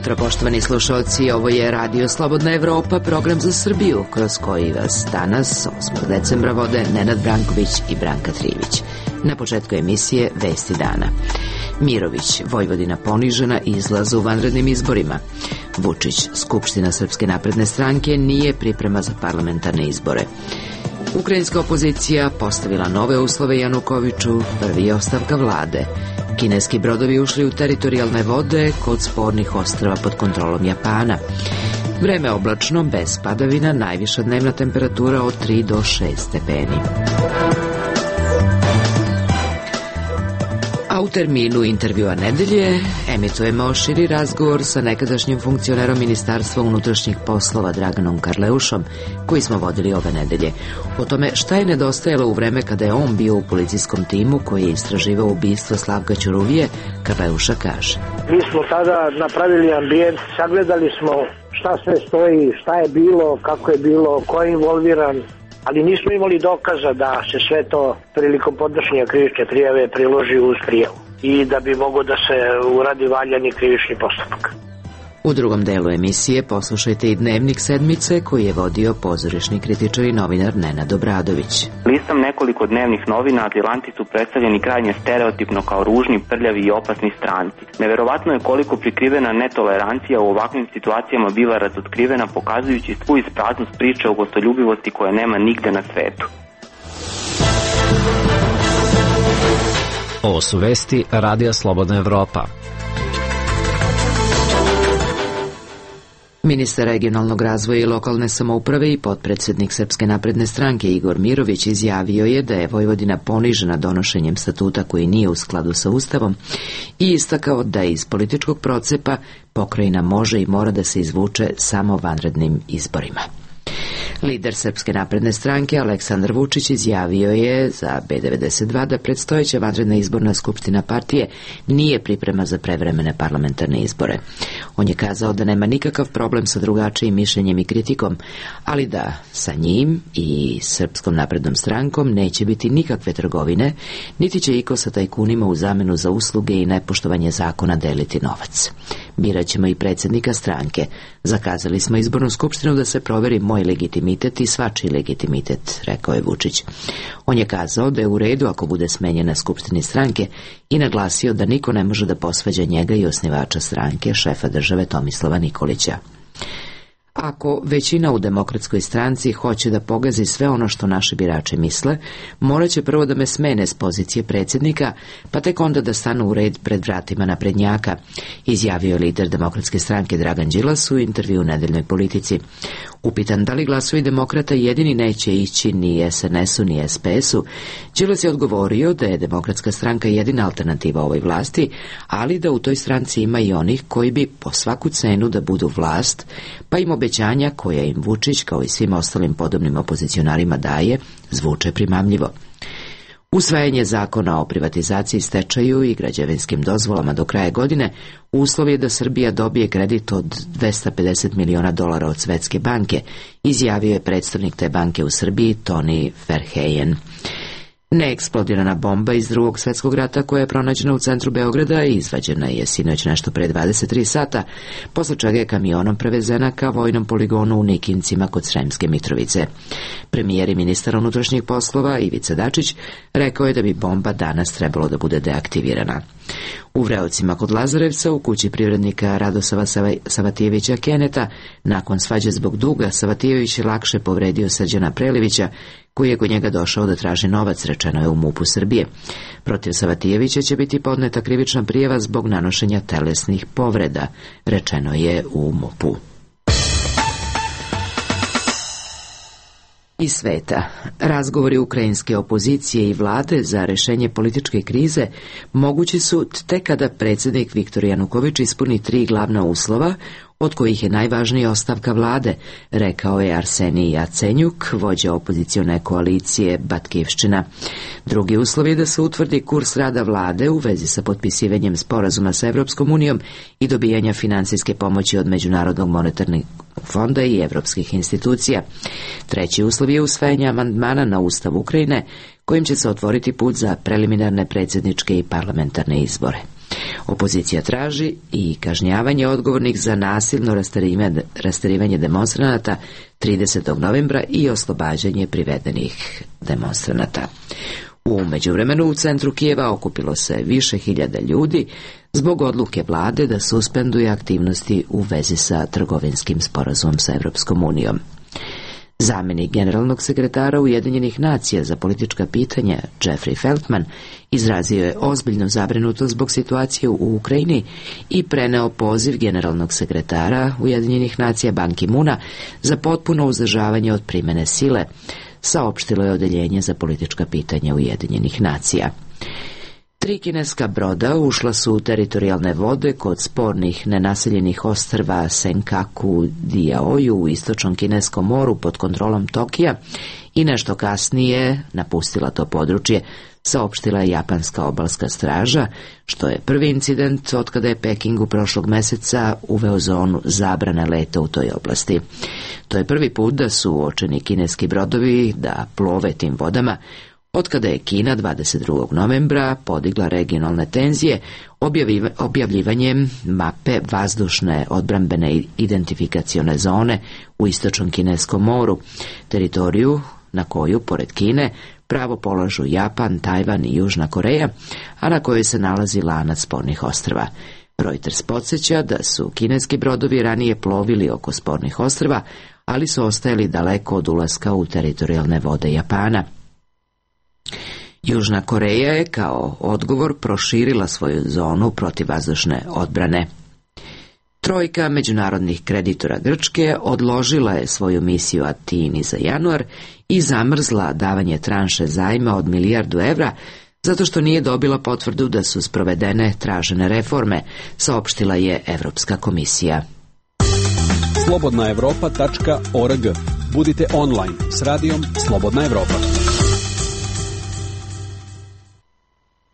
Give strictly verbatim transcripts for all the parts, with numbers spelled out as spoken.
jutro, poštovani slušalci, ovo je Radio Slobodna Evropa, program za Srbiju, kroz koji vas danas, osmog decembra, vode Nenad Branković i Branka Trivić. Na početku emisije Vesti dana. Mirović, Vojvodina ponižena, izlaz u vanrednim izborima. Vučić, Skupština Srpske napredne stranke nije priprema za parlamentarne izbore. Ukrajinska opozicija postavila nove uslove Janukoviću, prvi je ostavka vlade. Kineski brodovi ušli u teritorijalne vode kod spornih ostrava pod kontrolom Japana. Vreme oblačno, bez padavina, najviša dnevna temperatura od tri do šest stepeni. A u terminu intervjua nedelje emitujemo širi razgovor sa nekadašnjim funkcionerom Ministarstva unutrašnjih poslova Draganom Karleušom, koji smo vodili ove nedelje. O tome šta je nedostajalo u vreme kada je on bio u policijskom timu koji je istraživao ubistvo Slavka Ćuruvije, Karleuša kaže. Mi smo tada napravili ambijent, sagledali smo šta sve stoji, šta je bilo, kako je bilo, ko je involviran, ali nismo imali dokaza da se sve to prilikom podnošenja krivične prijave priloži uz prijavu i da bi moglo da se uradi valjani krivični postupak. U drugom delu emisije poslušajte i Dnevnik sedmice koji je vodio pozorišni kritičar i novinar Nenad Obradović. Listom nekoliko dnevnih novina, azilanti su predstavljeni krajnje stereotipno kao ružni, prljavi i opasni stranci. Neverovatno je koliko prikrivena netolerancija u ovakvim situacijama biva razotkrivena, pokazujući svu ispraznost priče o gostoljubivosti koje nema nigde na svetu. Ovo su vesti Radija Slobodna Evropa. Ministar regionalnog razvoja i lokalne samouprave i potpredsednik Srpske napredne stranke Igor Mirović izjavio je da je Vojvodina ponižena donošenjem statuta koji nije u skladu sa Ustavom i istakao da iz političkog procepa pokrajina može i mora da se izvuče samo vanrednim izborima. Lider Srpske napredne stranke Aleksandar Vučić izjavio je za B devedeset dva da predstojeća vanredna izborna skupština partije nije priprema za prevremene parlamentarne izbore. On je kazao da nema nikakav problem sa drugačijim mišljenjem i kritikom, ali da sa njim i Srpskom naprednom strankom neće biti nikakve trgovine, niti će iko sa tajkunima u zamenu za usluge i nepoštovanje zakona deliti novac. Biraćemo i predsjednika stranke. Zakazali smo izbornu skupštinu da se proveri moj legitimitet i svačiji legitimitet, rekao je Vučić. On je kazao da je u redu ako bude smenjen na skupštini stranke i naglasio da niko ne može da posvađa njega i osnivača stranke, šefa države Tomislava Nikolića. Ako većina u Demokratskoj stranci hoće da pogazi sve ono što naši birači misle, morat će prvo da me smene s pozicije predsjednika, pa tek onda da stanu u red pred vratima naprednjaka, izjavio lider Demokratske stranke Dragan Đilas u intervju u Nedeljnoj politici. Upitan da li glasovi demokrata jedini neće ići ni S N S-u ni S P S-u, Đilas je odgovorio da je Demokratska stranka jedina alternativa ovoj vlasti, ali da u toj stranci ima i onih koji bi po svaku cenu da budu vlast, pa im obećanja koja im Vučić kao i svim ostalim podobnim opozicionarima daje zvuče primamljivo. Usvajanje zakona o privatizaciji, stečaju i građevinskim dozvolama do kraja godine uslov je da Srbija dobije kredit od dvesta pedeset miliona dolara od Svetske banke, izjavio je predstavnik te banke u Srbiji Tony Verheyen. Neeksplodirana bomba iz Drugog svjetskog rata koja je pronađena u centru Beograda i izvađena je sinoć nešto pre dvadeset tri sata, posle čega je kamionom prevezena ka vojnom poligonu u Nikincima kod Sremske Mitrovice. Premijer i ministar unutrašnjih poslova Ivica Dačić rekao je da bi bomba danas trebalo da bude deaktivirana. U Vreocima kod Lazarevca, u kući privrednika Radosava Savatijevića Keneta, nakon svađe zbog duga, Savatijević je lakše povredio Srđana Prelivića, koji je kod njega došao da traži novac, rečeno je u MUP-u Srbije. Protiv Savatijevića će biti podneta krivična prijava zbog nanošenja telesnih povreda, rečeno je u MUP-u. Iz sveta. Razgovori ukrajinske opozicije i vlade za rešenje političke krize mogući su tek kada predsjednik Viktor Januković ispuni tri glavna uslova, od kojih je najvažnija ostavka vlade, rekao je Arsenij Jacenjuk, vođa opozicione koalicije Batkivščina. Drugi uslov je da se utvrdi kurs rada vlade u vezi sa potpisivanjem sporazuma sa Evropskom unijom i dobijanja finansijske pomoći od Međunarodnog monetarnog fonda i evropskih institucija. Treći uslov je usvajanje amandmana na Ustav Ukrajine, kojim će se otvoriti put za preliminarne predsjedničke i parlamentarne izbore. Opozicija traži i kažnjavanje odgovornih za nasilno rasterivanje demonstranata tridesetog novembra i oslobađanje privedenih demonstranata. U međuvremenu u centru Kijeva okupilo se više hiljada ljudi zbog odluke vlade da suspenduje aktivnosti u vezi sa trgovinskim sporazumom sa Evropskom unijom. Zamjenik generalnog sekretara Ujedinjenih nacija za politička pitanja Jeffrey Feltman izrazio je ozbiljnu zabrinutost zbog situacije u Ukrajini i preneo poziv generalnog sekretara Ujedinjenih nacija Ban Ki-moona za potpuno uzdržavanje od primjene sile, saopštilo je odeljenje za politička pitanja Ujedinjenih nacija. Tri kineska broda ušla su u teritorijalne vode kod spornih nenaseljenih ostrva Senkaku Diaoju u istočnom kineskom moru pod kontrolom Tokija i nešto kasnije napustila to područje, saopštila je japanska obalska straža, što je prvi incident otkada je Pekingu prošlog meseca uveo zonu zabrane leta u toj oblasti. To je prvi put da su uočeni kineski brodovi da plove tim vodama, otkada je Kina dvadeset drugog novembra podigla regionalne tenzije objavljivanjem mape vazdušne odbrambene identifikacione zone u istočnom kineskom moru, teritoriju na koju, pored Kine, pravo polažu Japan, Tajvan i Južna Koreja, a na kojoj se nalazi lanac spornih ostrva. Reuters podsjeća da su kineski brodovi ranije plovili oko spornih ostrva, ali su ostajali daleko od ulaska u teritorijalne vode Japana. Južna Koreja je kao odgovor proširila svoju zonu protivvazdušne odbrane. Trojka međunarodnih kreditora Grčke odložila je svoju misiju Atini za januar i zamrzla davanje tranše zajma od milijardu evra zato što nije dobila potvrdu da su sprovedene tražene reforme, saopštila je Evropska komisija. slobodna evropa tačka org. Budite online s radijom Slobodna Evropa.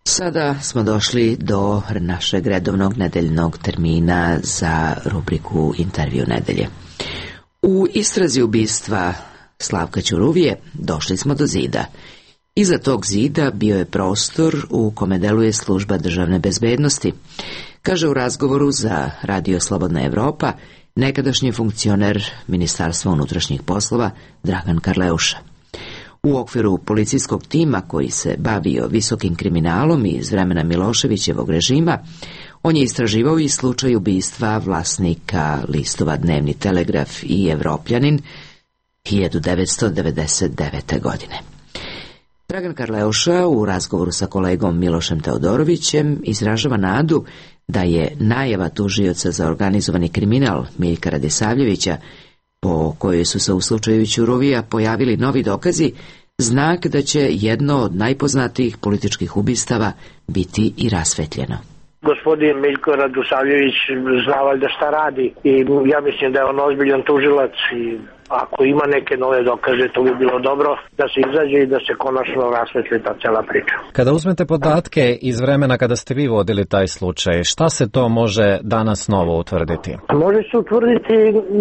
Sada smo došli do našeg redovnog nedeljnog termina za rubriku Intervju nedelje. U istrazi ubistva Slavka Ćuruvije došli smo do zida. Iza tog zida bio je prostor u kome deluje služba državne bezbednosti, kaže u razgovoru za Radio Slobodna Evropa nekadašnji funkcioner Ministarstva unutrašnjih poslova Dragan Karleuša. U okviru policijskog tima koji se bavio visokim kriminalom iz vremena Miloševićevog režima, on je istraživao i slučaj ubistva vlasnika listova Dnevni Telegraf i Evropljanin hiljadu devetsto devedeset devete. godine. Dragan Karleuša u razgovoru sa kolegom Milošem Teodorovićem izražava nadu da je najava tužioca za organizovani kriminal Miljka Radisavljevića, po kojoj su se u slučaju Ćuruvija pojavili novi dokazi, znak da će jedno od najpoznatijih političkih ubistava biti i rasvetljeno. Gospodin Miljko Radisavljević zna valjda šta radi i ja mislim da je on ozbiljan tužilac i ako ima neke nove dokaze, to bi bilo dobro da se izađe i da se konačno rasvetli ta cela priča. Kada uzmete podatke iz vremena kada ste vi vodili taj slučaj, šta se to može danas novo utvrditi? Može se utvrditi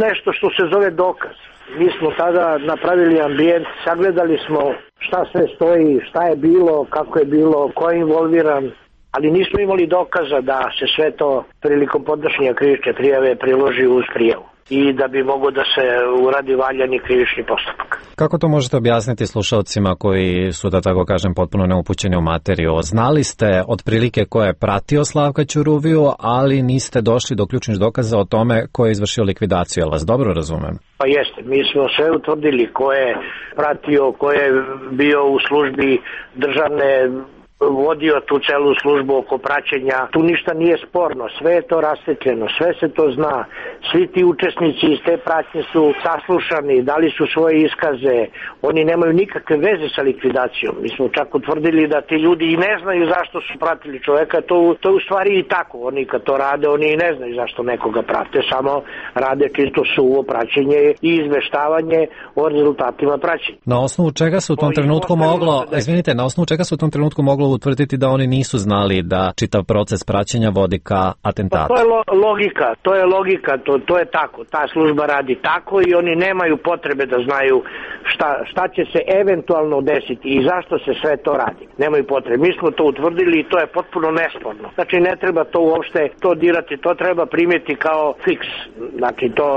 nešto što se zove dokaz. Mi smo tada napravili ambijent, sagledali smo šta sve stoji, šta je bilo, kako je bilo, ko je involviran, ali nismo imali dokaza da se sve to prilikom podnošenja krivične prijave priloži uz prijavu i da bi mogo da se uradi valjani krivični postupak. Kako to možete objasniti slušalcima koji su, da tako kažem, potpuno neupućeni u materiju? Znali ste otprilike ko je pratio Slavka Ćuruviju, ali niste došli do ključnih dokaza o tome ko je izvršio likvidaciju, jel vas dobro razumem? Pa jeste, mi smo sve utvrdili ko je pratio, ko je bio u službi državne, vodio tu celu službu oko praćenja. Tu ništa nije sporno, sve je to rasvetljeno, sve se to zna. Svi ti učesnici iz te pratnje su saslušani, dali su svoje iskaze, oni nemaju nikakve veze sa likvidacijom. Mi smo čak utvrdili da ti ljudi i ne znaju zašto su pratili čoveka, to, to je u stvari i tako. Oni kad to rade, oni i ne znaju zašto nekoga prate, samo rade čisto suvo praćenje i izveštavanje o rezultatima praćenja. Na osnovu čega se u tom trenutku moglo, izvinite, na osnovu čega se u tom trenutku moglo trebalo utvrditi da oni nisu znali da čitav proces praćenja vodi ka atentatu. Pa to je lo, logika, to je logika, to, to je tako, ta služba radi tako i oni nemaju potrebe da znaju šta, šta će se eventualno desiti i zašto se sve to radi. Nemaju potrebe. Mi smo to utvrdili i to je potpuno nesporno. Znači ne treba to uopšte to dirati, to treba primiti kao fiks. Znači to,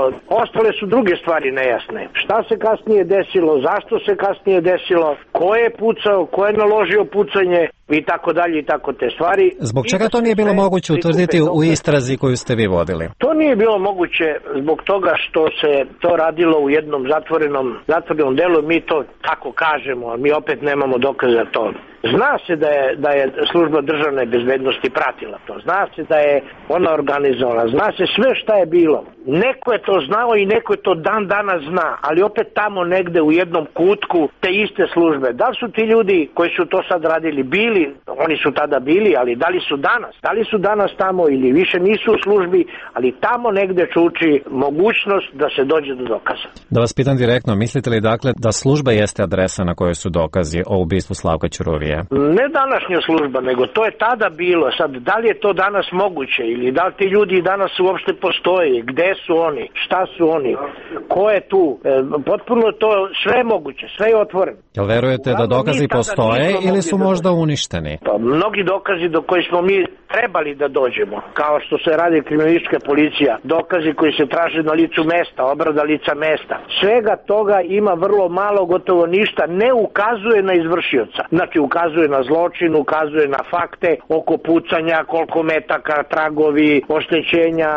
ostale su druge stvari nejasne. Šta se kasnije desilo, zašto se kasnije desilo, ko je pucao, ko je naložio pucanje i tako dalje i tako te stvari. Zbog čega to nije bilo moguće utvrditi u istrazi koju ste vi vodili? To nije bilo moguće zbog toga što se to radilo u jednom zatvorenom, zatvorenom delu, mi to tako kažemo, ali mi opet nemamo dokaza to. Zna se da je, da je služba državne bezbednosti pratila to, zna se da je ona organizovala, zna se sve šta je bilo. Neko je to znao i neko je to dan danas zna, ali opet tamo negde u jednom kutku te iste službe. Da li su ti ljudi koji su to sad radili bili, oni su tada bili, ali da li su danas? Da li su danas tamo ili više nisu u službi, ali tamo negde čuči mogućnost da se dođe do dokaza. Da vas pitam direktno, mislite li dakle da služba jeste adresa na kojoj su dokazi o ubistvu Slavka Ćuruvije? Ne današnja služba, nego to je tada bilo. Sad, da li je to danas moguće ili da li ti ljudi danas uopšte postoje, gde su oni, šta su oni, ko je tu, e, potpuno to sve je moguće, sve je otvoreno. Jel verujete da dokazi postoje ili su možda uništeni? Pa, mnogi dokazi do koji smo mi trebali da dođemo, kao što se radi kriminalistička policija, dokazi koji se traže na licu mesta, obrada lica mesta, svega toga ima vrlo malo, gotovo ništa, ne ukazuje na izvršioca. Znači ukazuje na zločin, ukazuje na fakte oko pucanja, koliko metaka, tragovi, oštećenja,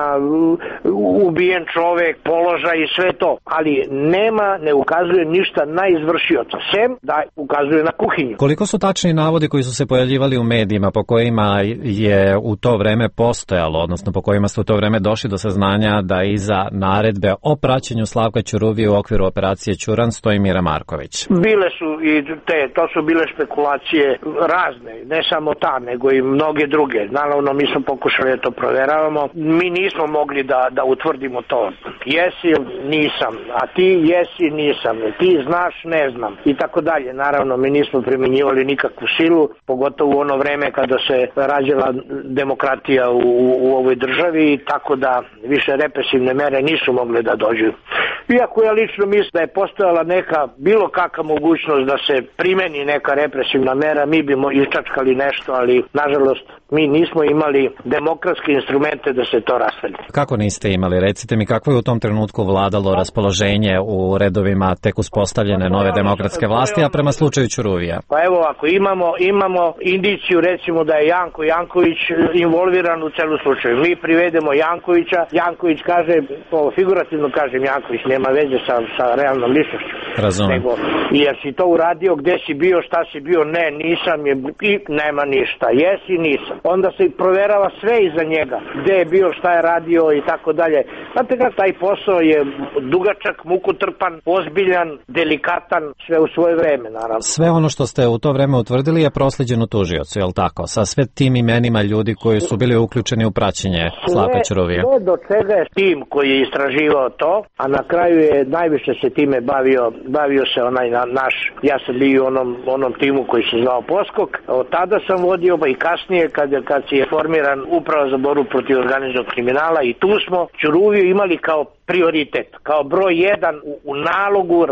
ubijen čovek, položaj i sve to, ali nema, ne ukazuje ništa na izvršioca, sem da ukazuje na kuhinju. Koliko su tačni navodi koji su se pojavljivali u medijima po kojima je u to vreme postojalo, odnosno po kojima ste u to vreme došli do saznanja da iza naredbe o praćenju Slavka Ćuruvije u okviru operacije Ćuran stoji Mira Marković? Bile su i te, to su bile špekulacije razne, ne samo ta, nego i mnoge druge. Naravno, mi smo pokušali da to proveravamo. Mi nismo mogli da, da utvrdimo to. Jesi, nisam, a ti jesi, nisam, ti znaš, ne znam i tako dalje. Naravno, mi nismo primjenjivali nikakvu silu, pogotovo u ono vreme kada se rađala demokratija u, u ovoj državi, tako da više represivne mere nisu mogle da dođu. Iako ja lično mislim da je postojala neka, bilo kakva mogućnost da se primeni neka represivna mera, mi bimo iščačkali nešto, ali nažalost mi nismo imali demokratske instrumente da se to rasvelji. Kako niste imali? Recite mi, kako je u tom trenutku vladalo raspoloženje u redovima tek uspostavljene nove demokratske vlasti, a prema slučaju Ćuruvija? Pa evo, ako imamo, imamo indiciju recimo da je Janko Janković involviran u celu slučaju. Mi privedemo Jankovića, Janković kaže, to figurativno kažem, Janković nema veze sa, sa realnom ličnošću. Razumem. Nego, jer si to uradio, gde si bio, šta si bio, ne, nisam, je, i nema ništa, jesi, nisam. Onda se proverava sve iza njega, gde je bio, šta je radio i tako dalje. Znate kako, taj posao je dugačak, mukotrpan, ozbiljan, delikatan, sve u svoje vreme, naravno. Sve ono što ste u to vreme utvrdili je prosleđeno tužiocu, je li tako? Sa sve tim imenima ljudi koji su bili uključeni u praćenje Slavka Ćuruvije. Sve do čega je tim koji je istraživao to, a na kraju je najviše se time bavio, bavio se onaj na, naš, ja sam bio u onom, onom timu koji se zvao Poskok, od tada sam vodio, pa i kasnije kad, kad si je formiran uprava za borbu protiv organizovanog kriminala i tu smo Ćuruviju imali kao prioritet, kao broj jedan u, u nalogu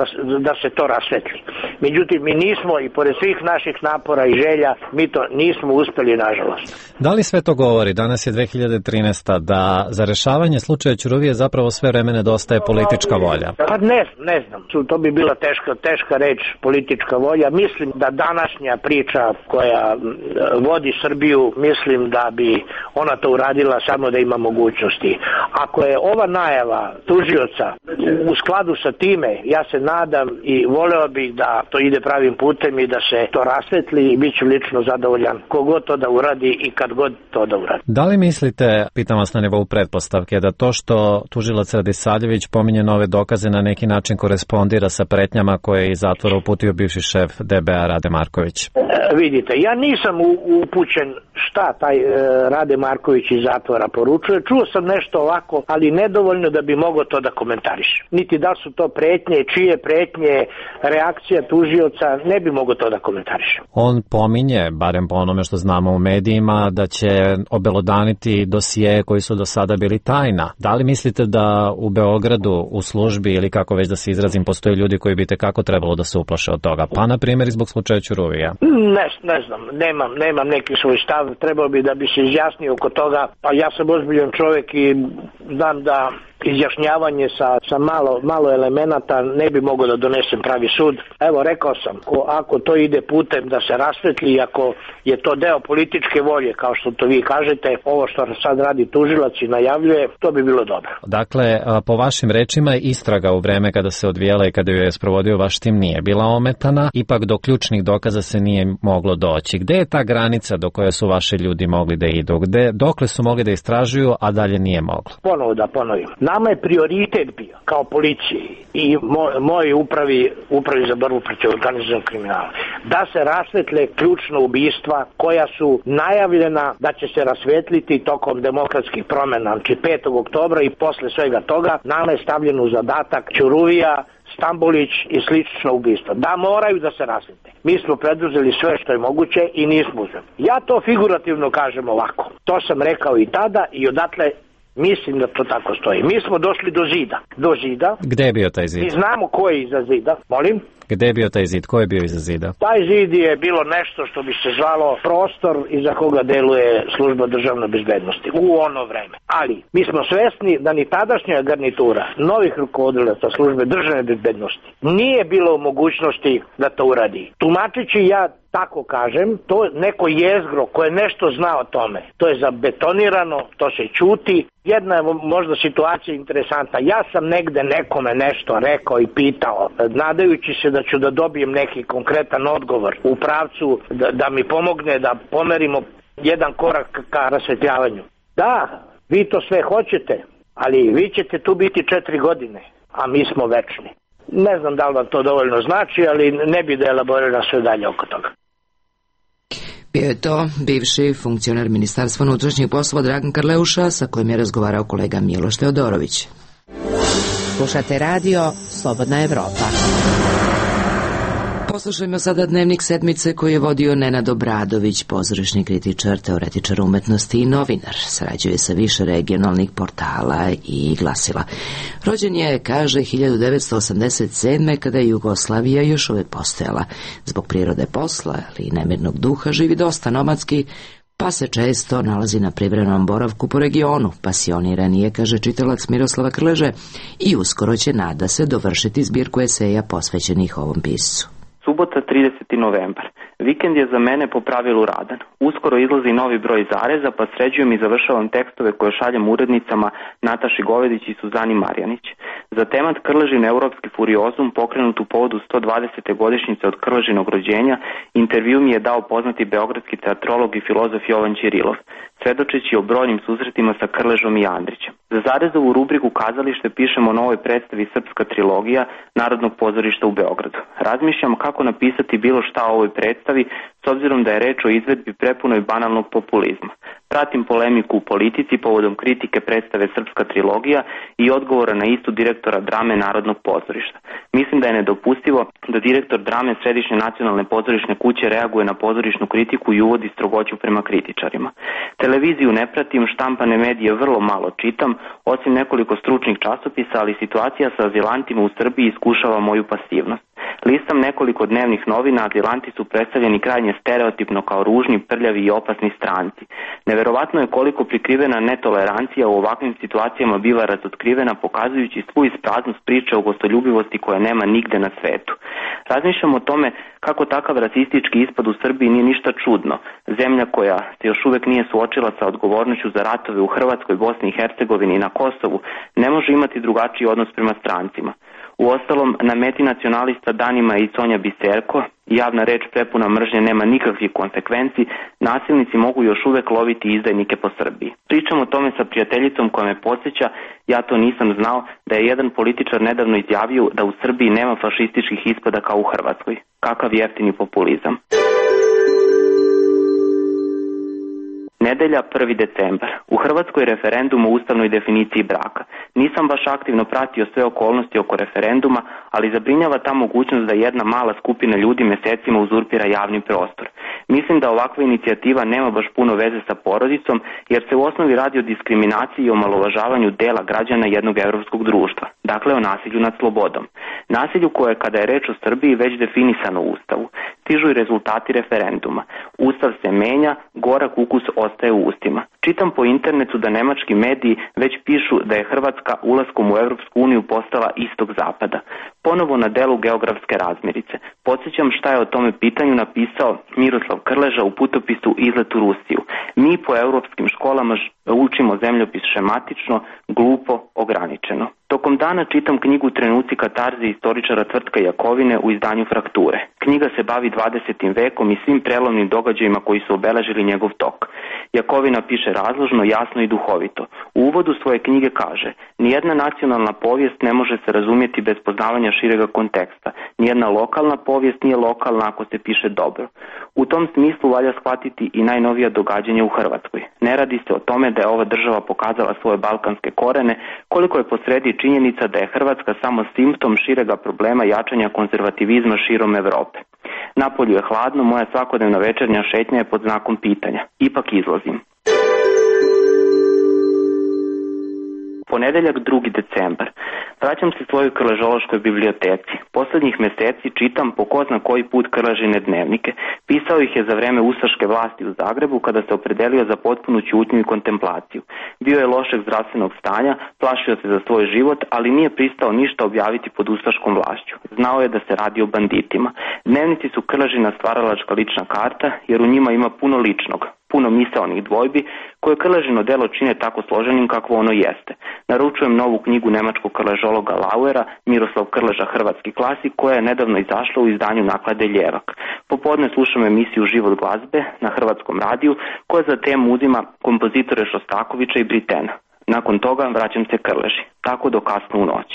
da se to rasvetli. Međutim, mi nismo i pored svih naših napora i želja, mi to nismo uspeli, nažalost. Da li sve to govori, danas je dve hiljade trinaesta, da za rešavanje slučaja Ćuruvije zapravo sve vreme nedostaje politička volja? Pa ne, ne znam, to bi bila teška, teška reč, politička volja. Mislim da današnja priča koja vodi Srbiju, mislim da bi ona to uradila samo da ima mogućnosti. Ako je ova najava tužioca u skladu sa time, ja se nadam i voleo bih da to ide pravim putem i da se to rasvetli i bit ću lično zadovoljan kogod to da uradi i kad god to da uradi. Da li mislite, pitam vas na nivou pretpostavke, da to što tužilac Radisavljević pominje nove dokaze na neki način korespondira sa pretnjama koje je iz zatvora uputio bivši šef D B A Rade Marković? E, vidite, ja nisam upućen šta taj e, Rade Marković iz zatvora poručuje. Čuo sam nešto ovako, ali nedovoljno da bi mogao mogao to da komentarišem. Niti da su to pretnje, čije pretnje, reakcija tužioca, ne bi mogao to da komentarišem. On pominje, barem po onome što znamo u medijima, da će obelodaniti dosije koji su do sada bili tajna. Da li mislite da u Beogradu u službi ili kako već da se izrazim postoje ljudi koji bi tekako trebalo da se uplaše od toga? Pa na primjer zbog slučaja Ćuruvija. Ne, ne znam, nemam, nemam neki svoj stav, trebao bi da bi se izjasnio oko toga, pa ja sam ozbiljan čovjek i znam da izjašnjavanje sa, sa malo, malo elemenata ne bi mogao da donesem pravi sud. Evo, rekao sam, ko, ako to ide putem da se rasvetli, ako je to deo političke volje, kao što to vi kažete, ovo što sad radi tužilac i najavljuje, to bi bilo dobro. Dakle, po vašim rečima, istraga u vreme kada se odvijela i kada ju je sprovodio vaš tim nije bila ometana, ipak do ključnih dokaza se nije moglo doći. Gde je ta granica do koje su vaši ljudi mogli da idu? Gde, dokle su mogli da istražuju, a dalje nije moglo? Ponovo da ponovim. Nama je prioritet bio, kao policiji i moj, moj upravi, upravi za borbu protiv organizovanog kriminala, da se rasvetle ključna ubistva koja su najavljena da će se rasvetliti tokom demokratskih promjena, znači petog oktobra i posle svega toga. Nama je stavljeno u zadatak Ćuruvija, Stambolić i slično ubistva. Da moraju da se rasvete. Mi smo preduzeli sve što je moguće i nismo uzeli. Ja to figurativno kažem ovako. To sam rekao i tada i odatle mislim da to tako stoji. Mi smo došli do zida. Do zida. Gde je bio taj zid? Mi znamo ko je iza zida. Molim? Gde je bio taj zid? Ko je bio iza zida? Taj zid je bilo nešto što bi se zvalo prostor iza koga deluje služba državne bezbednosti u ono vreme. Ali mi smo svesni da ni tadašnja garnitura novih rukovodilaca službe državne bezbednosti nije bilo u mogućnosti da to uradi. Tumačići ja tako kažem, to neko jezgro koje nešto zna o tome, to je zabetonirano, to se ćuti. Jedna je možda situacija interesantna. Ja sam negde nekome nešto rekao i pitao, nadajući se da ću da dobijem neki konkretan odgovor u pravcu da, da mi pomogne da pomerimo jedan korak ka rasvetljavanju. Da, vi to sve hoćete, ali vi ćete tu biti četiri godine, a mi smo večni. Ne znam da li vam to dovoljno znači, ali ne bi da elaboriram sve dalje oko toga. Bio je to bivši funkcioner Ministarstva unutrašnjih poslova Dragan Karleuša, sa kojim je razgovarao kolega Miloš Teodorović. Slušate radio Slobodna Evropa. Poslušajmo sada dnevnik sedmice koji je vodio Nenad Obradović, pozorišni kritičar, teoretičar umetnosti i novinar. Sarađuje sa više regionalnih portala i glasila. Rođen je, kaže, hiljadu devetsto osamdeset sedme kada je Jugoslavija još uvijek postojala. Zbog prirode posla ali i nemirnog duha živi dosta nomadski, pa se često nalazi na privremenom boravku po regionu. Pasioniran je, kaže čitalac Miroslava Krleže, i uskoro će, nada se, dovršiti zbirku eseja posvećenih ovom piscu. Subota, trideseti novembar. Vikend je za mene po pravilu radan. Uskoro izlazi novi broj Zareza, pa sređujem i završavam tekstove koje šaljem urednicama Nataši Govedić i Suzani Marjanić. Za temat Krležin europski furiozum, pokrenut u povodu sto dvadesete godišnjice od Krležinog rođenja, intervju mi je dao poznati beogradski teatrolog i filozof Jovan Ćirilov, svedočeći o brojnim susretima sa Krležom i Andrićem. Za Zarezovu rubriku Kazalište pišemo o novoj predstavi Srpska trilogija Narodnog pozorišta u Beogradu. Razmišljam kako napisati bilo šta o ovoj predstavi, s obzirom da je reč o izvedbi prepunoj banalnog populizma. Pratim polemiku u politici povodom kritike predstave Srpska trilogija i odgovora na istu direktora drame Narodnog pozorišta. Mislim da je nedopustivo da direktor drame Središnje nacionalne pozorišne kuće reaguje na pozorišnu kritiku i uvodi strogoću prema kritičarima. Televiziju ne pratim, štampane medije vrlo malo čitam, osim nekoliko stručnih časopisa, ali situacija sa azilantima u Srbiji iskušava moju pasivnost. Listam nekoliko dnevnih novina, azilanti su predstavljeni krajnje stereotipno kao ružni, prljavi i opasni stranci. Neverovatno je koliko prikrivena netolerancija u ovakvim situacijama biva razotkrivena, pokazujući svu ispraznost priče o gostoljubivosti koje nema nigde na svetu. Razmišljam o tome kako takav rasistički ispad u Srbiji nije ništa čudno. Zemlja koja se još uvek nije suočila sa odgovornošću za ratove u Hrvatskoj, Bosni i Hercegovini i na Kosovu ne može imati drugačiji odnos prema strancima. Uostalom, na meti nacionalista danima i Sonja Biserko, javna reč prepuna mržnje nema nikakvih konsekvenci, nasilnici mogu još uvek loviti izdajnike po Srbiji. Pričam o tome sa prijateljicom koja me podsjeća, ja to nisam znao, da je jedan političar nedavno izjavio da u Srbiji nema fašističkih ispada kao u Hrvatskoj. Kakav jeftini populizam. Nedelja, prvi decembar. U Hrvatskoj referendum o ustavnoj definiciji braka. Nisam baš aktivno pratio sve okolnosti oko referenduma, ali zabrinjava ta mogućnost da jedna mala skupina ljudi mjesecima uzurpira javni prostor. Mislim da ovakva inicijativa nema baš puno veze sa porodicom, jer se u osnovi radi o diskriminaciji i omalovažavanju dela građana jednog europskog društva. Dakle, o nasilju nad slobodom. Nasilju koje, kada je reč o Srbiji, već definisano u Ustavu. Stižu i rezultati referenduma. Ustav se menja, gorak ukus ostaje u ustima. Čitam po internetu da nemački mediji već pišu da je Hrvatska ulaskom u Europsku uniju postala istog zapada. Ponovo na delu geografske razmirice. Podsjećam šta je o tome pitanju napisao Miroslav Krleža u putopisu Izlet u Rusiju. Mi po europskim školama učimo zemljopis šematično, glupo, ograničeno. Tokom dana čitam knjigu Trenuci katarze istoričara Tvrtka Jakovine u izdanju Frakture. Knjiga se bavi dvadesetim vekom i svim prelomnim događajima koji su obeležili njegov tok. Jakovina piše razložno, jasno i duhovito. U uvodu svoje knjige kaže: nijedna nacionalna povijest ne može se razumjeti bez poznavanja širega konteksta. Nijedna lokalna povijest nije lokalna ako se piše dobro. U tom smislu valja shvatiti i najnovija događanja u Hrvatskoj. Ne radi se o tome da je ova država pokazala svoje balkanske korene, koliko je posredi činjenica da je Hrvatska samo simptom širega problema jačanja konzervativizma širom Europe. Napolju je hladno, moja svakodnevna večernja šetnja je pod znakom pitanja. Ipak izlazim. Ponedeljak, drugi decembar. Vraćam se svojoj krležološkoj biblioteci. Posljednjih mjeseci čitam po ko zna koji put Krležine dnevnike. Pisao ih je za vreme ustaške vlasti u Zagrebu, kada se opredelio za potpunu ćutnju i kontemplaciju. Bio je lošeg zdravstvenog stanja, plašio se za svoj život, ali nije pristao ništa objaviti pod ustaškom vlašću. Znao je da se radi o banditima. Dnevnici su Krležina stvaralačka lična karta, jer u njima ima puno ličnog, puno misaonih dvojbi, koje Krležino delo čine tako složenim kakvo ono jeste. Naručujem novu knjigu nemačkog krležologa Lauera, Miroslav Krleža, hrvatski klasik, koja je nedavno izašla u izdanju naklade Ljevak. Popodne slušam emisiju Život glazbe na Hrvatskom radiju, koja za temu uzima kompozitore Šostakovića i Britena. Nakon toga vraćam se Krleži, tako do kasno u noć.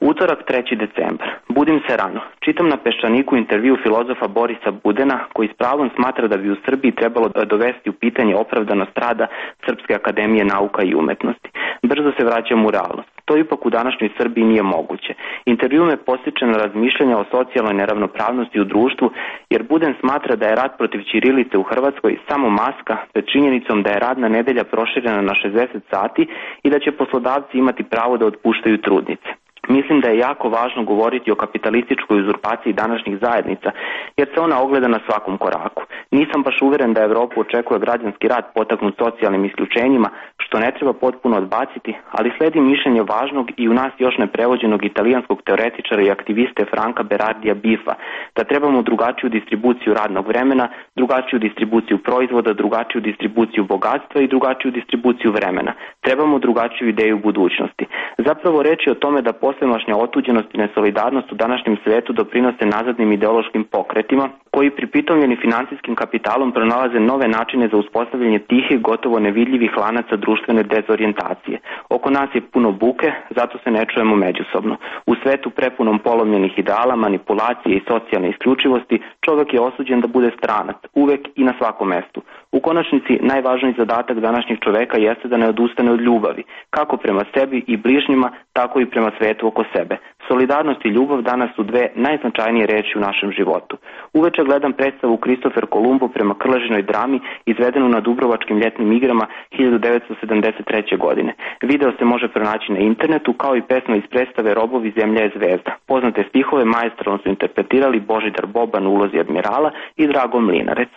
Utorak, treći decembar. Budim se rano. Čitam na Peščaniku intervju filozofa Borisa Budena, koji s pravom smatra da bi u Srbiji trebalo dovesti u pitanje opravdanost rada Srpske akademije nauka i umetnosti. Brzo se vraćam u realnost. To ipak u današnjoj Srbiji nije moguće. Intervju me postiče na razmišljanja o socijalnoj neravnopravnosti u društvu, jer Buden smatra da je rat protiv ćirilice u Hrvatskoj samo maska pred činjenicom da je radna nedelja proširena na šezdeset sati i da će poslodavci imati pravo da otpuštaju trudnice. Mislim da je jako važno govoriti o kapitalističkoj uzurpaciji današnjih zajednica, jer se ona ogleda na svakom koraku. Nisam baš uvjeren da Europu očekuje građanski rat potaknut socijalnim isključenjima, što ne treba potpuno odbaciti, ali slijedi mišljenje važnog i u nas još neprevođenog italijanskog teoretičara i aktiviste Franka Berardija Biffa, da trebamo drugačiju distribuciju radnog vremena, drugačiju distribuciju proizvoda, drugačiju distribuciju bogatstva i drugačiju distribuciju vremena. Trebamo drugačiju ideju budućnosti. Zapravo reč je o tome da posvemašnja otuđenost i nesolidarnost u današnjem svijetu doprinose nazadnim ideološkim pokretima, koji pripitomljeni financijskim kapitalom pronalaze nove načine za uspostavljanje tihih, gotovo nevidljivih lanaca društvene dezorijentacije. Oko nas je puno buke, zato se ne čujemo međusobno. U svetu prepunom polomljenih ideala, manipulacije i socijalne isključivosti, čovjek je osuđen da bude stranac, uvek i na svakom mestu. U konačnici, najvažniji zadatak današnjeg čoveka jeste da ne odustane od ljubavi, kako prema sebi i bližnjima, tako i prema svetu oko sebe. Solidarnost i ljubav danas su dve najznačajnije reči u našem životu. Uveče gledam predstavu Kristofer Kolumbo prema Krležinoj drami, izvedenu na Dubrovačkim ljetnim igrama hiljadu devetsto sedamdeset treće. godine. Video se može pronaći na internetu, kao i pesma iz predstave Robovi, zemlja je zvezda. Poznate stihove maestralno su interpretirali Božidar Boban u ulozi admirala i Drago Mlinarec.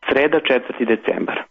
Sreda, četvrti decembar.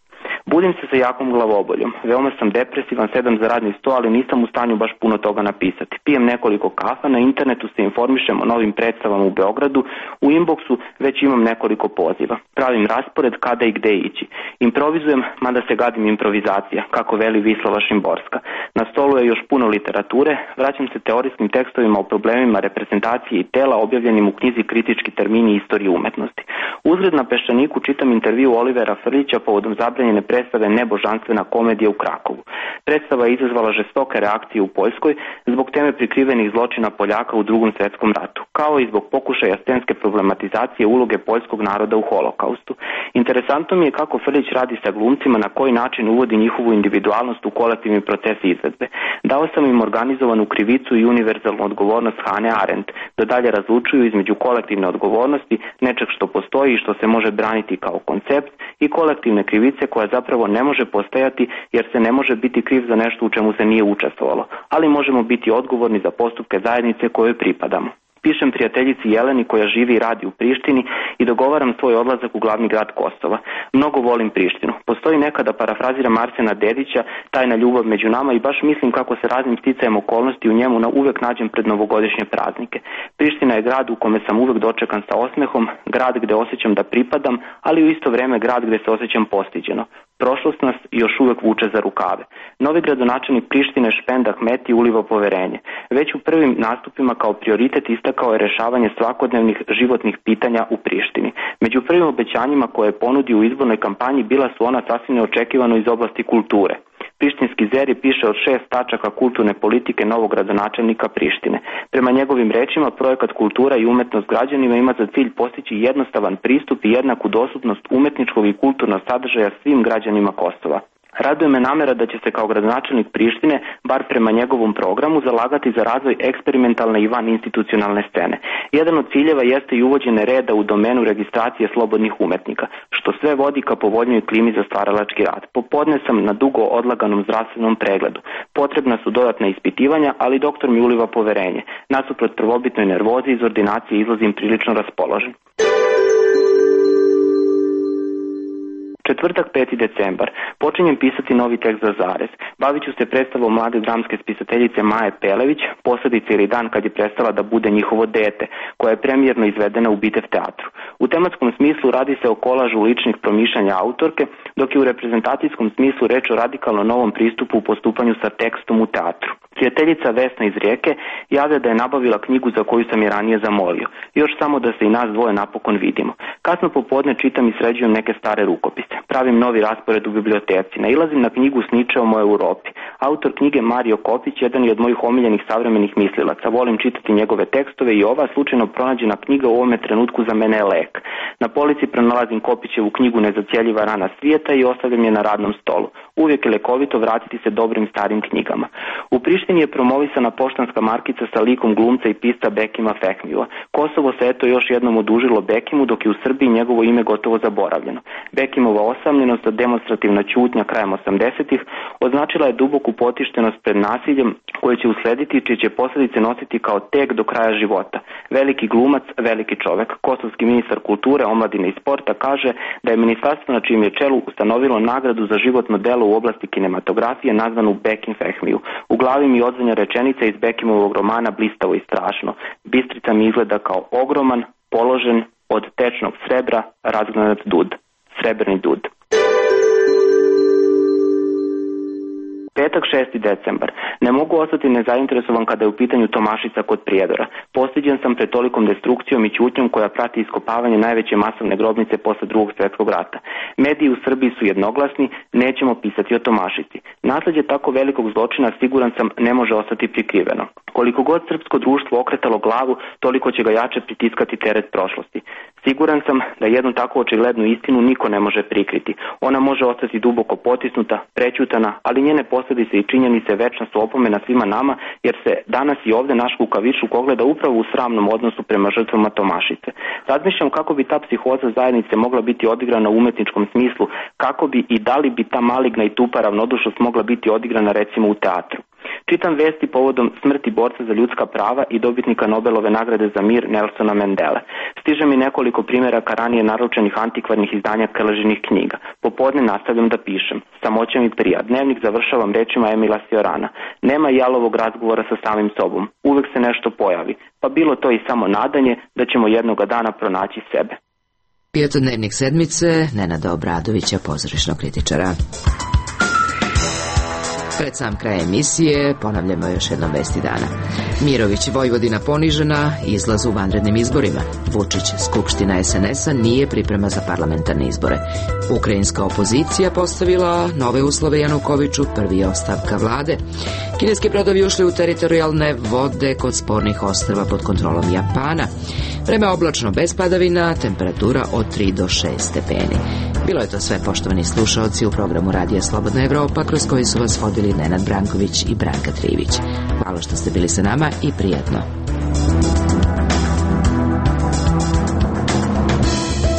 Budim se sa jakom glavoboljom. Veoma sam depresivan, sedam za radni sto, ali nisam u stanju baš puno toga napisati. Pijem nekoliko kafa, na internetu se informišem o novim predstavama u Beogradu, u inboxu već imam nekoliko poziva. Pravim raspored kada i gde ići. Improvizujem, mada se gadim improvizacija, kako veli Vislava Šimborska. Na stolu je još puno literature, vraćam se teorijskim tekstovima o problemima reprezentacije i tela objavljenim u knjizi Kritički termini istorije umetnosti. Uzgred Uzred na Peščaniku čitam intervju Olivera Frljića povodom zabranjene predstave Nebožanstvena komedija u Krakovu. Predstava je izazvala žestoke reakcije u Poljskoj zbog teme prikrivenih zločina Poljaka u Drugom svjetskom ratu, kao i zbog pokušaja scenske problematizacije uloge poljskog naroda u Holokaustu. Interesantno mi je kako Frljić radi sa glumcima, na koji način uvodi njihovu individualnost u kolektivni proces izvedbe. Dao sam im organizovanu krivicu i univerzalnu odgovornost Hane Arendt, da dalje razlučuju između kolektivne odgovornosti, nečeg što postoji i što se može braniti kao koncept, i kolektivne krivice koja zapravo ne može postojati jer se ne može biti kriv za nešto u čemu se nije učestvovalo, ali možemo biti odgovorni za postupke zajednice kojoj pripadamo. Pišem prijateljici Jeleni koja živi i radi u Prištini i dogovaram svoj odlazak u glavni grad Kosova. Mnogo volim Prištinu. Postoji neka, da parafraziram Arsena Dedića, tajna ljubav među nama, i baš mislim kako se raznim sticajem okolnosti u njemu na uvek nađem pred novogodišnje praznike. Priština je grad u kome sam uvek dočekan sa osmehom, grad gde osjećam da pripadam, ali u isto vreme grad gde se osjećam postiđeno. Prošlost nas još uvek vuče za rukave. Novi gradonačelnik Prištine Špend Ahmeti uliva poverenje. Već u prvim nastupima kao prioritet istakao je rešavanje svakodnevnih životnih pitanja u Prištini. Među prvim obećanjima koje je ponudio u izbornoj kampanji bila su ona sasvim neočekivano iz oblasti kulture. Prištinski Zeri piše od šest tačaka kulturne politike novog gradonačelnika Prištine. Prema njegovim rečima, projekat Kultura i umetnost građanima ima za cilj postići jednostavan pristup i jednaku dostupnost umetničkog i kulturnog sadržaja svim građanima Kosova. Raduje me namera da će se kao gradonačelnik Prištine, bar prema njegovom programu, zalagati za razvoj eksperimentalne i vaninstitucionalne scene. Jedan od ciljeva jeste i uvođenje reda u domenu registracije slobodnih umetnika, što sve vodi ka povoljnoj klimi za stvaralački rad. Popodne sam na dugo odlaganom zdravstvenom pregledu. Potrebna su dodatna ispitivanja, ali doktor mi uliva poverenje. Nasuprot prvobitnoj nervozi iz ordinacije izlazim prilično raspoložen. Četvrtak, peti decembar. Počinjem pisati novi tekst za Zarez. Bavit ću se predstavom mlade dramske spisateljice Maje Pelević, posljedice ili dan kad je prestala da bude njihovo dete, koja je premijerno izvedena u Bitev teatru. U tematskom smislu radi se o kolažu ličnih promišljanja autorke, dok je u reprezentacijskom smislu reč o radikalno novom pristupu u postupanju sa tekstom u teatru. Prijateljica Vesna iz Rijeke javlja da je nabavila knjigu za koju sam je ranije zamolio. Još samo da se i nas dvoje napokon vidimo. Kasno popodne čitam i sređujem neke stare rukopise. Pravim novi raspored u biblioteci. Nailazim na knjigu S ničeom o Europi. Autor knjige Mario Kopić jedan je od mojih omiljenih savremenih mislilaca. Volim čitati njegove tekstove i ova slučajno pronađena knjiga u ovome trenutku za mene je lek. Na polici pronalazim Kopićevu knjigu Nezacjeljiva rana svijeta i ostavljam je na radnom stolu. Uvijek je lekovito vratiti se dobrim starim knjigama. U Prištini je promovisana poštanska markica sa likom glumca i pisca Bekima Fehmija. Kosovo se eto još jednom odužilo Bekimu, dok je u Srbiji njegovo ime gotovo zaboravljeno. Bekimova osamljenost, demonstrativna ćutnja krajem osamdesetih označila je duboku potištenost pred nasiljem koje će uslediti, čije će posljedice nositi kao tek do kraja života. Veliki glumac, veliki čovek. Kosovski ministar kulture, omladine i sporta kaže da je ministarstvo na čijem je čelu ustanovilo nagradu za životno delo u oblasti kinematografije nazvanu Bekim Fehmiju. U glavi mi odzvanja rečenica iz Bekimovog romana Blistavo i strašno. Bistrica mi izgleda kao ogroman, položen od tečnog srebra razgranat dud. Srebrni dud. Petak, šesti decembar. Ne mogu ostati nezainteresovan kada je u pitanju Tomašica kod Prijedora. Postiđen sam pred tolikom destrukcijom i ćutnjom koja prati iskopavanje najveće masovne grobnice posle Drugog svjetskog rata. Mediji u Srbiji su jednoglasni, nećemo pisati o Tomašici. Nasleđe tako velikog zločina, siguran sam, ne može ostati prikriveno. Koliko god srpsko društvo okretalo glavu, toliko će ga jače pritiskati teret prošlosti. Siguran sam da jednu tako očiglednu istinu niko ne može prikriti. Ona može ostati duboko potisnuta, prećutana, ali njene posljedice i činjenice večna su opomena svima nama, jer se danas i ovde naš kukavičluk ogleda upravo u sramnom odnosu prema žrtvama Tomašice. Razmišljam kako bi ta psihoza zajednice mogla biti odigrana u umetničkom smislu, kako bi i da li bi ta maligna i tupa ravnodušnost mogla biti odigrana recimo u teatru. Čitam vesti povodom smrti borca za ljudska prava i dobitnika Nobelove nagrade za mir Nelsona Mandele. Stiže mi nekoliko primjeraka ranije naručenih antikvarnih izdanja Krležinih knjiga. Popodne nastavljam da pišem. Samoća mi prija. Dnevnik završavam rečima Emila Siorana. Nema jalovog razgovora sa samim sobom. Uvek se nešto pojavi. Pa bilo to i samo nadanje da ćemo jednoga dana pronaći sebe. Petodnevnik sedmice Nenada Obradovića, pozorišnog kritičara. Pred sam kraj emisije ponavljamo još jednom vesti dana. Mirović, Vojvodina ponižena, izlaz u vanrednim izborima. Vučić, Skupština es en es a nije priprema za parlamentarne izbore. Ukrajinska opozicija postavila nove uslove Janukoviću, prvi je ostavka vlade. Kineski brodovi ušli u teritorijalne vode kod spornih ostrva pod kontrolom Japana. Vreme oblačno bez padavina, temperatura od tri do šest stepeni. Bilo je to sve, poštovani slušaoci, u programu Radija Slobodna Evropa, kroz koji su vas vodili Nenad Branković i Branka Trivić. Hvala što ste bili sa nama i prijatno.